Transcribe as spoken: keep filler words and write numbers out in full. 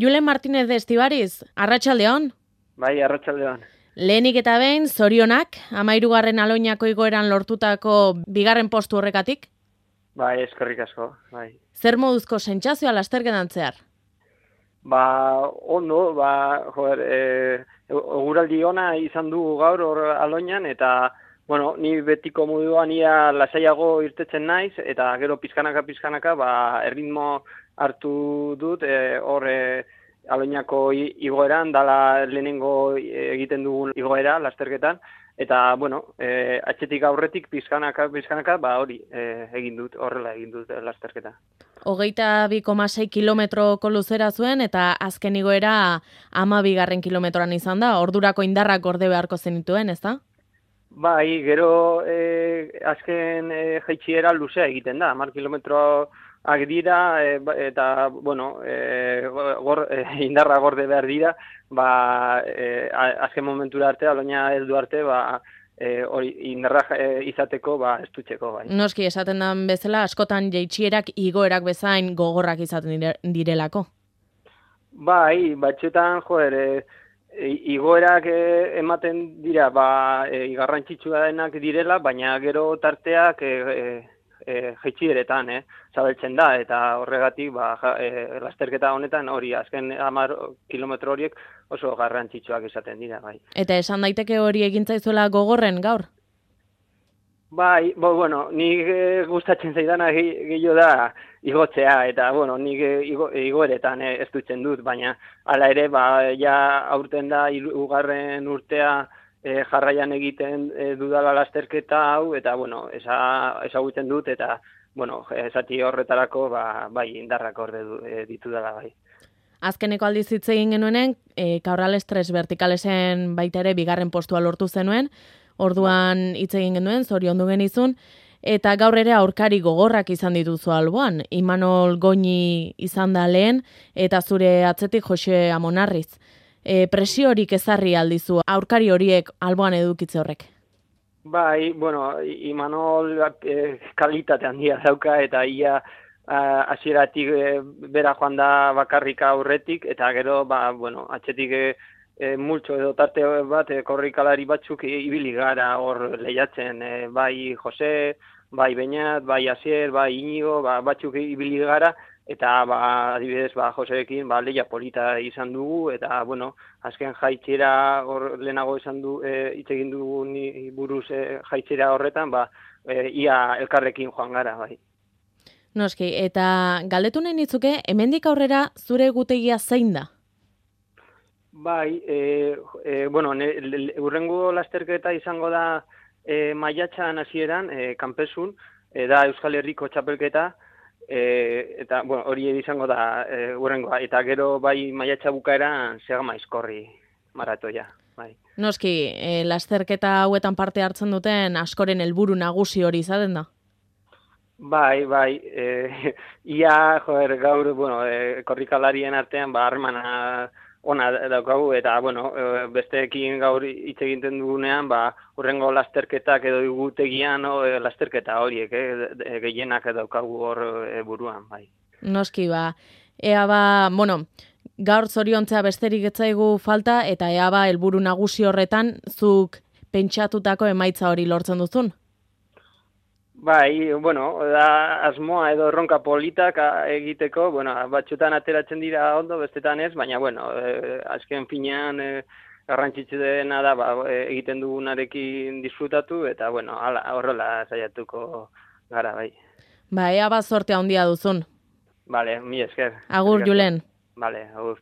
Julen Martínez de Estibariz, arratsaldeon. Bai, arratsaldeon. Lehenik eta behin, zorionak, hamahirugarren Aloinako igoeran lortutako bigarren postu horrekatik? Bai, eskerrik asko, bai. Zer moduzko sentsazioa lasterketan zehar? Ba, ondo, ba, joder, e, eguraldi ona izan dugu gaur hor Aloinan, eta, bueno, ni betiko moduan ia lasaiago irtetzen naiz, eta gero pizkanaka-pizkanaka, ba, erritmo hartu dut, e, hor e, Aloinako igoeran, dala lehenengo egiten dugun igoera, lasterketan, eta, bueno, e, atxetik aurretik pizkanaka-pizkanaka, ba, hori e, egin dut, horrela egin dut lasterketa. Hogeita bi koma sei kilometroko luzera zuen, eta azken igoera hamabigarren kilometroan izan da, ordurako indarrak gorde beharko zenituen, ez da? Bai, gero e, azken e, jaitsiera luzea egiten da, hamar kilometroak dira, e, eta, bueno, e, gor, e, indarra gorde behar dira, ba, e, azken momentura arte, Aloina heldu arte, ba, E, hori indarra e, izateko ba estutzeko bai. Noski esaten den bezala askotan jaitsierak igoerak bezain gogorrak izaten direlako. Bai, batzuetan joder, e, igoerak e, ematen dira ba e, garrantzitsua denak direla, baina gero tarteak e, e, e, jaitsieretan, eh, zabeltzen da eta horregatik ba ja, e, lasterketa honetan hori azken hamar kilometro horiek oso garrantzitsuak izaten dira, bai. Eta esan daiteke hori egin zaizuela gogorren gaur? Bai, bo, bueno, nik e, gustatzen zaidana gehiago da igotzea, eta, bueno, nik e, igo, igoeretan e, ez dutzen dut, baina hala ere, ba, ja aurten da hirugarren urtea e, jarraian egiten e, dudala lasterketa hau, eta, bueno, esa, ezagutzen dut, eta, bueno, esati horretarako, ba, bai, indarrak orde e, ditu dela, bai. Azkeneko aldiz hitz egin genuenen, e, Cabrales tres vertikalesen baita ere bigarren postua lortu zenuen, orduan hitz egin genuen, zoriondu genizun, eta gaur ere aurkari gogorrak izan dituzu alboan. Imanol Goñi izan da lehen, eta zure atzetik Jose Amonarriz. E, presiorik ezarri aldizu aurkari horiek alboan edukitze horrek? Bai, bueno, Imanol e, kalitate handia dauka, eta ia hasieratik e, bera joan da bakarrika aurretik, eta gero, ba, bueno, atzetik e, e, multxo edo tarte bat, e, korrikalari batzuk ibili gara hor lehiatzen, e, bai Jose, bai Beñat, bai Asier, bai Inigo, ba, batzuk ibili gara, eta ba, adibidez ba, Joseekin ba, lehia polita izan dugu, eta bueno, azken jaitxera hor lehenago izan du, e, hitz egin dugu ni buruz e, jaitxera horretan, ba, e, ia elkarrekin joan gara, bai. Noski, eta galdetu nahi nitzuke, hemendik aurrera zure egutegia zein da? Bai, e, e, bueno, hurrengo lasterketa izango da e, maiatxan hasieran, e, kanpesun, e, da Euskal Herriko txapelketa, e, eta bueno, hori izango da hurrengoa, e, eta gero bai maiatxa bukaeran Segama Aizkorri maratoia. Bai. Noski, e, lasterketa hauetan parte hartzen duten askoren helburu nagusi hori izaten da? Bai, bai, e, ia, joder, gaur, bueno, e, korrikalarien artean, ba, harremana ona daukagu, eta, bueno, e, besteekin gaur hitz egiten dugunean, ba, hurrengo lasterketak edo igutegian, no, e, lasterketa horiek, eh, gehienak daukagu hor e, buruan, bai. Noski, ba, ea ba, bueno, gaur zoriontzea besterik etzaigu falta, eta ea ba, helburu nagusi horretan, zuk pentsatutako emaitza hori lortzen duzun? Bai, bueno, da asmoa edo erronka politak egiteko, bueno, batzutan ateratzen dira ondo, bestetan ez, baina, bueno, e, azken finean e, garrantzitsu dena da, ba, egiten dugunarekin disfrutatu, eta, bueno, ala, horrela saiatuko gara, bai. Ba, ea ba, zortea handia duzun. Bale, mi esker. Agur, Julen. Bale, agur.